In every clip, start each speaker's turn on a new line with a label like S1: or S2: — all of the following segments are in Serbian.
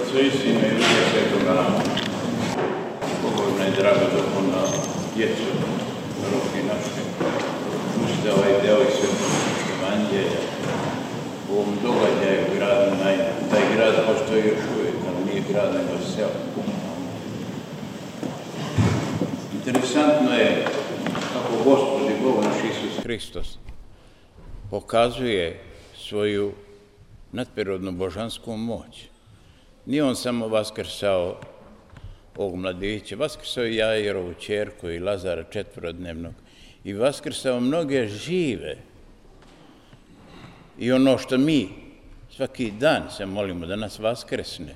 S1: Otca i Sina i Duha Svetoga. Pobožna i draga duhovna djeco, roki naši, slušajte ovaj deo iz Svetog Evanđelja u ovom događaju grada Najna. Taj grad postoji još uvijek, ali nije grad nego selo. Interesantno je kako Gospod i Bog naš Isus Hristos pokazuje svoju nadprirodnu božansku moć. Nije on samo vaskrsao ovog mladića, vaskrsao i Jairovu ćerku i Lazara četvorodnevnog i vaskrsao mnoge žive. I ono što mi svaki dan se molimo da nas vaskresne,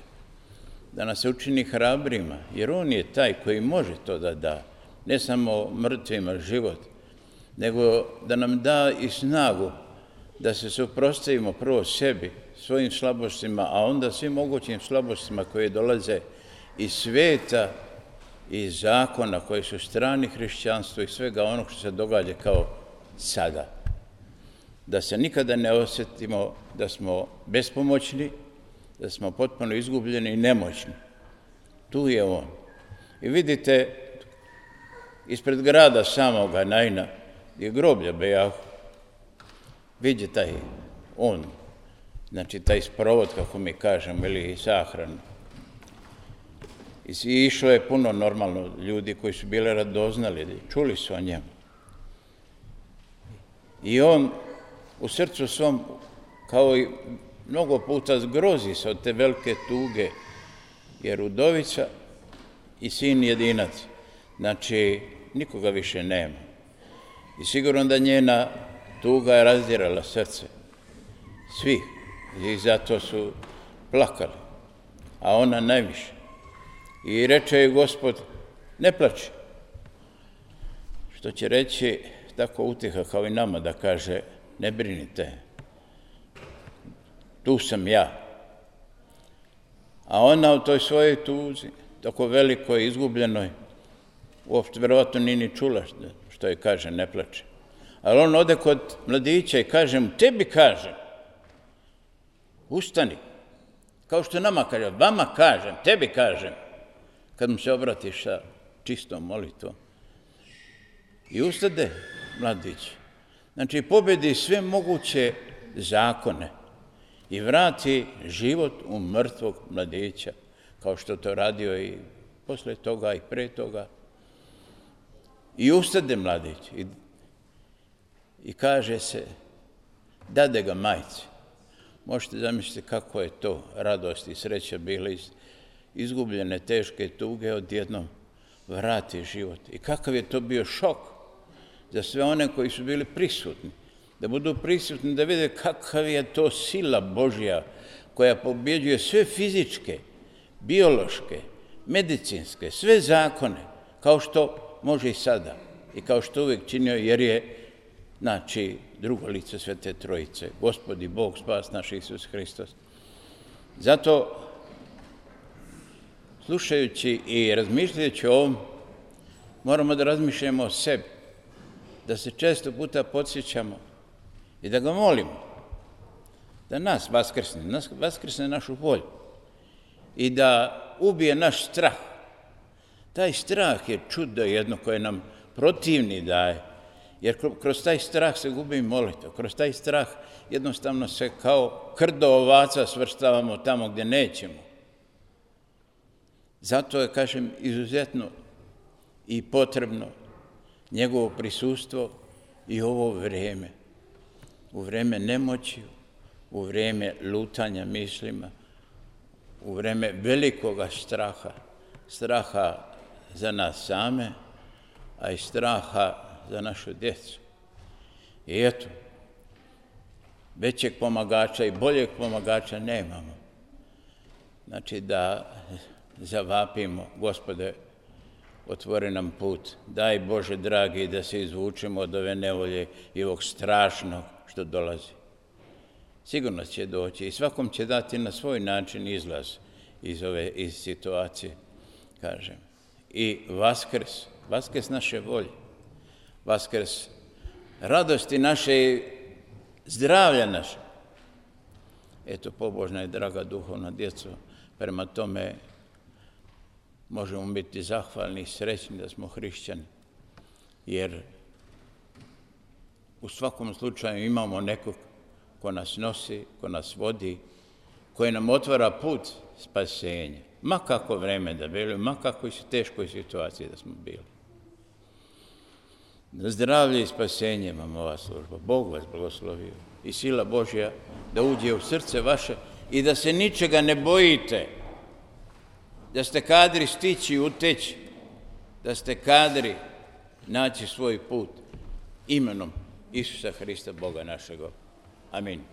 S1: da nas učini hrabrima, jer on je taj koji može to da da, ne samo mrtvima život, nego da nam da i snagu da se suprotstavimo prvo sebi, svojim slabostima, a onda svim mogućim slabostima koje dolaze iz sveta, iz zakona koji su strani hrišćanstvu i svega onog što se događa kao sada. Da se nikada ne osjetimo da smo bespomoćni, da smo potpuno izgubljeni i nemoćni. Tu je on. I vidite, ispred grada samoga Najna je groblje bejahu. Vidite taj on, znači taj sprovod, kako mi kažemo, ili sahranu. I išlo je puno normalno ljudi koji su bili radoznali, čuli su o njemu. I on u srcu svom, kao i mnogo puta, zgrozi se od te velike tuge, jer udovica i sin jedinac, znači nikoga više nema. I sigurno da njena tuga je razdirala srce svih i zato su plakali, a ona najviše. I reče je Gospod, ne plači, što će reći tako utiha kao i nama da kaže, ne brinite, tu sam ja. A ona u toj svojoj tuzi, tako velikoj, izgubljenoj, uopšte verovatno nije ni čula što je kaže, ne plače. Ali on ode kod mladića i kaže mu, tebi kažem, ustani, kao što nama kaže, vama kažem, tebi kažem, kad mu se obratiš sa čistom molitvom. I ustade mladić. Znači, pobedi sve moguće zakone i vrati život u mrtvog mladića, kao što to radio i posle toga i pre toga. I ustade mladić i kaže se, dade ga majci. Možete zamisliti kako je to radost i sreća bila iz izgubljene teške tuge, odjednom vrati život. I kakav je to bio šok za sve one koji su bili prisutni, da budu prisutni, da vide kakav je to sila Božja koja pobjeđuje sve fizičke, biološke, medicinske, sve zakone, kao što može i sada i kao što uvijek činio, jer je, znači, drugo lice Svete Trojice, Gospod i Bog, spas naš Isus Hristos. Zato, slušajući i razmišljajući o ovom, moramo da razmišljamo o sebi, da se često puta podsjećamo i da ga molimo, da nas vaskrsne našu volju i da ubije naš strah. Taj strah je čudo jedno koje nam protivni daje, jer kroz taj strah se gubi molitva, kroz taj strah jednostavno se kao krdo ovaca svrstavamo tamo gdje nećemo. Zato je, kažem, izuzetno i potrebno njegovo prisustvo i ovo vreme. U vreme nemoći, u vreme lutanja mislima, u vreme velikoga straha, straha za nas same, a i straha za našu djecu. I eto, većeg pomagača i boljeg pomagača nemamo. Znači da zavapimo, Gospode, otvori nam put, daj Bože dragi da se izvučemo od ove nevolje i ovog strašnog što dolazi. Sigurno će doći i svakom će dati na svoj način izlaz iz situacije, kažem. I vaskrs naše volje, vaskrs radosti naše i zdravlja naše. Eto, pobožna i draga duhovna djeco, Prema tome, možemo biti zahvalni i srećni da smo hrišćani, jer u svakom slučaju imamo nekog ko nas nosi, ko nas vodi, koji nam otvara put spasenja. Ma kako vreme da bili, ma kako u teškoj situaciji da smo bili. Zdravlje i spasenje vam ova služba. Bog vas blagoslovio i sila Božja da uđe u srce vaše i da se ničega ne bojite, da ste kadri stići i uteći, da ste kadri naći svoj put imenom Isusa Hrista, Boga našega. Amin.